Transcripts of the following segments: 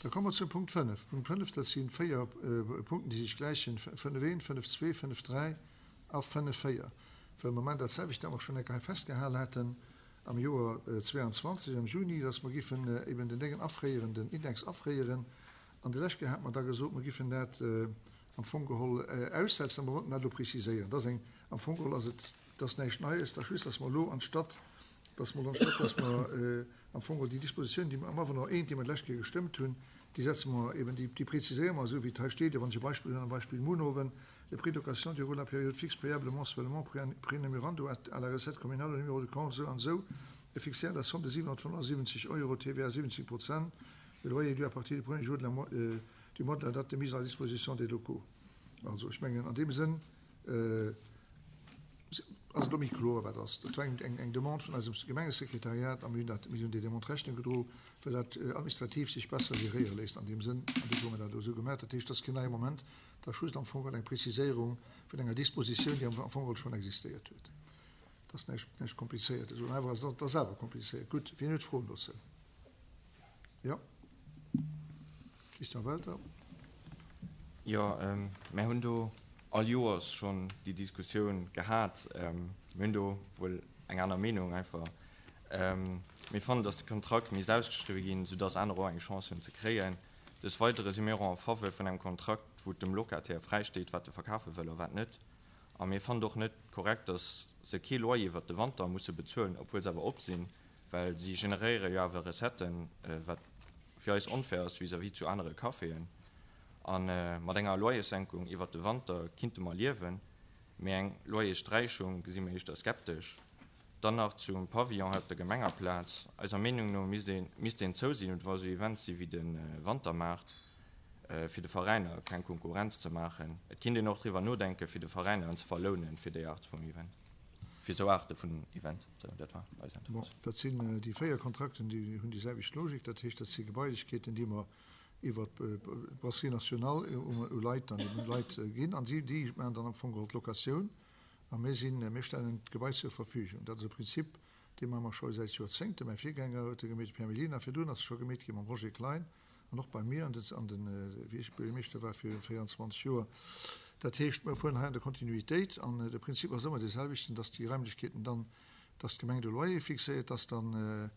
Da komme mer zum Punkt 5. Punkt 5, dat si véier Punkten, déi sech gläichen, 5, 1, 5, 2, 5, 3 a 5, 4, well mer maachen dat selwecht, dat mer schonn eng Kéier hei festgehal haten am Joer 22 am Juni, dass mer giffen eben den Déngen afréieren, den Index afréieren. An déi lescht Kéier hate mer da gesot, mer giffen dat am Fong geholl aussetzen a mer wollten dat elo preziséieren. Dat ass eng, am Fong geholl ass et, dat ass näischt Neies, dat ass just, dass mer elo anstatt, dass mer, anstatt dass mer am Fong geholl déi Dispositioun, déi mer am Avenant I, déi mer d'lescht Kéier gestëmmt hunn, déi setze mer eben, déi, déi preziséiere mer esou wéi et hei steet. A wann ech e Beispill hunn, am Beispill Munhowen, Le prix de location durant la période fixe payable mensuellement prénumérando à la recette communale au numéro de compte esou an esou est fixé à la somme de 775 euros TVA 70 Prozent, le loyer est dû à partir du premier jour de la du mois de la date de mise à disposition des locaux. Also, ech mengen, an deem Sënn ass et elo méi kloer, wat ass. Dat war eng, eng Demande vun eisem Gemengesekretariat a mir hunn dat, mir hunn déi Demande Rechnung gedro, well dat administrativ sech besser geréiere léisst an deem Sënn. An dofir hu mer dat elo esou gemaach. Dat heescht, dat ass keen neie Moment, dat ass just am Fong eng Preziséierung vun enger Dispositioun, déi am Fong schonn existéiert huet. Dat ass näischt, näischt Komplizéiertes. Oder awer ass et ass awer komplizéiert. Gutt, wien huet Froen dozou? Jo. Christian Welter. Jo, mär hunn do all Joers schonn déi Diskussioun gehat. Mir hunn do wuel eng aner Meenung einfach. Mir fannen, datt de Kontrakt misst ausgeschriwwe ginn, soudatt aner och eng Chance hunn ze kréien. Des Weidere si mir och en faveur vun engem Kontrakt, wou et dem Locataire fräisteet, wat e verkafe wëll a wat net. A mir fannen et och net korrekt, datt se kee Loyer iwwert de Wanter musse bezuelen, obwuel se awer op sinn. Well si generéiere jo awer Recetten, wat fir eis onfair ass vis-à-vis zu anere Caféen. A mat enger Loyerssenkung iwwert de Wanter kinnte mer liewen, mee eng Loyerssträichung gesi mer éischter skeptesch. Dann nach zum Pavillon hei op der Gemengerplaz. Eiser Meenung no misst een misst deen zou sinn, wa sou Events si wéi de Wantermaart, fir de Veräiner keng Konkurrenz ze maachen. Et kinnt een och driwwer nodenken, fir de Veräiner en ze verlounen fir déi Art vum Event, fir sou Aarte vun Event. Sou, dat war eis Äntwert. Bon, dat sinn déi 4 Kontrakten, déi hunn déi selwecht Logik. Dat heescht, dat si Gebailechkeeten, déi mer iwwert d'Brasserie Nationale u Leit dann eben Leit ginn. An si, déi maachen dann am Fong geholl d'Locatioun a mir sinn, mir stellen d'Gebai zur Verfügung. Dat ass e Prinzip, dee maache mer scho säit Joerzéngten. Mäi Virgänger huet e gemeet, de Pierre Mellina. Virdrun ass e scho gemeet gi mam Roger Klein. An och bei mir an den, an den, wéi ech Buergermeeschter war viru 24 Joer. Dat heescht, mir fueren hei an der Kontinuitéit an de Prinzip ass ëmmer dee selwechten, dass déi Raimlechkeeten dann, dass d'Gemeng de Loyer fixéiert, dass dann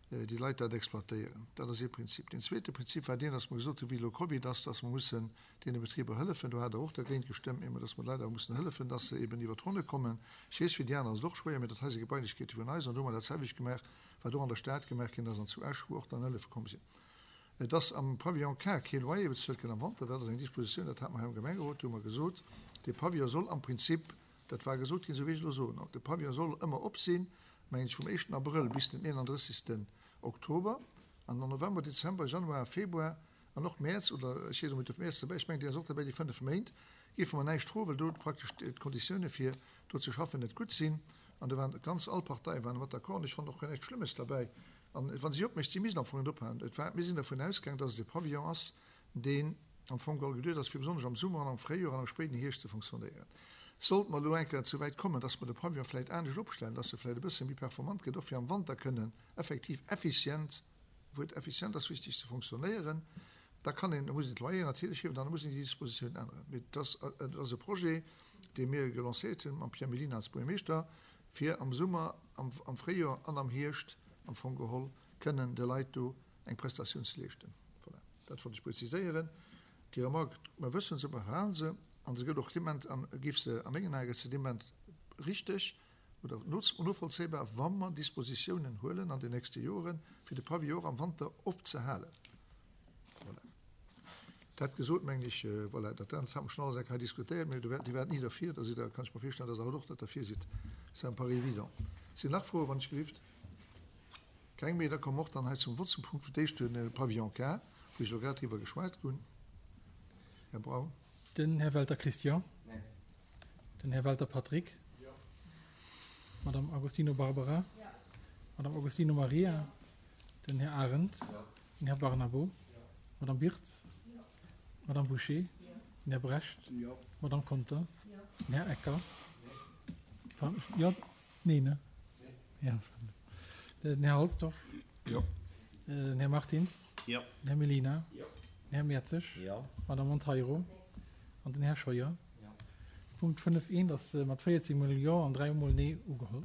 déi Leit dat exploitéieren. Dat ass ee Prinzip. Deen zweete Prinzip war deen, dass mer gesot hunn, wéi elo Covid ass, dass mer mussen deene Betriber hëllefen. Do hat Der och dergéint gestëmmt, mee dass mer de Leit awer mussen hëllefen, dass se eben iwwer d'Ronne kommen. Ech weess, fir déi aner ass et och schwéier, mee dat hei si Gebailechkeete vun eis an do hu mer dat selwecht gemaach, wat och an der Stad gemaach ginn ass an zu Esch, wou och dann Hëllefe komm sinn. Et ass am Pavillon K kee Loyer bezuelt ginn am Wanter. Dat ass eng Dispositioun, dat hate mer hei am Gemengerot, do hu mer gesot, dee Pavillon soll am Prinzip, dat war gesot ginn, esou wéi ech elo soen, de Pavillon soll ëmmer op sinn, mengen ech, vum éischten Abrëll bis den 31. Oktober an am November, Dezember, Januar, Februar an och Mäerz, oder ech weess net, ob Mäerz derbäi, ech mengen, deen ass och derbäi, déi 5 Méint géife mer näischt froen, well do praktesch d'Konditioune fir do ze schaffen net gutt sinn. An do waren ganz all Parteie waren mat d'accord an ech fannen och guer näischt Schlëmmes derbäi. An wa si opmécht, si misst am Fong net ophalen. Et war, mir sinn dervun ausgaang, dass et e Pavillon ass, deen am Fong geholl geduecht ass, fir besonnesch am Summer an am Fréijoer an am spéiden Hierscht ze fonctionnéieren. Sollt mer elo eng Kéier zu wäit kommen, dass mer de Pavillon vläicht anescht opstellen, dass e vläicht e bësse méi performant gëtt, och fir am Wanter kënnen effektiv effizient, d'Wuert effizient ass wichteg, ze fonctionnéieren, da kann een, da muss een d'Loyeren natierlech hiewen, dann muss een déi Dispositiounen änneren. Mee et ass, et ass e Projet, dee mir gelancéiert hunn mam Pierre Mellina als Buergermeeschter, fir am Summer, am, am Fréijoer an am Hierscht am Fong geholl kënnen de Leit do eng Prestatioun ze leeschten. Voilà, dat wollt ech preziséieren. Déi Remarque, mer wëssen se, mer halen se, an se gëtt och dement, an géif se, a mengen Ae gëtt se dement richteg oder novollzéibar, wa mer Dispositiounen huelen an den nächste Joren, fir de Pavillon och am Wanter opzehalen. Voilà. Dat gesot, mengen ech, voilà, dat anert hat mer schonn alles eng Kéier diskutéiert, mä Dir waart ni derfir, da sidd Der, kann ech mer virstellen, dass Der haut och net derfir sidd. Ça me paraît évident. Sinn nach Froen, wann ech gelift? Keng méi? Da komme mer och dann hei zum Vott, zum Punkt fir d'éischt de Pavillon K, wou ech elo grad driwwer geschwat hunn. Här Braun. Den Här Welter Christian. Den Här Welter Patrick. D'Madame Agostino Barbara. D'Madame Agostino Maria. Den Här Arendt. Den Här Barnabo. D'Madame Birtz. D'Madame Bouché. Den Här Brecht. D'Madame Conter. Den Här Ecker. Jo, nee, ne? Jo. Den Här Halsdorf. Jo. Den Här Martins. Jo. Den Här Mellina. Jo. Den Här Mertzig. Jo. D'Madame Monteiro. An den Här Scheuer. Jo. Punkt 5 eent ass mat 14 mol Jo an 3 mol Nee ugeholl.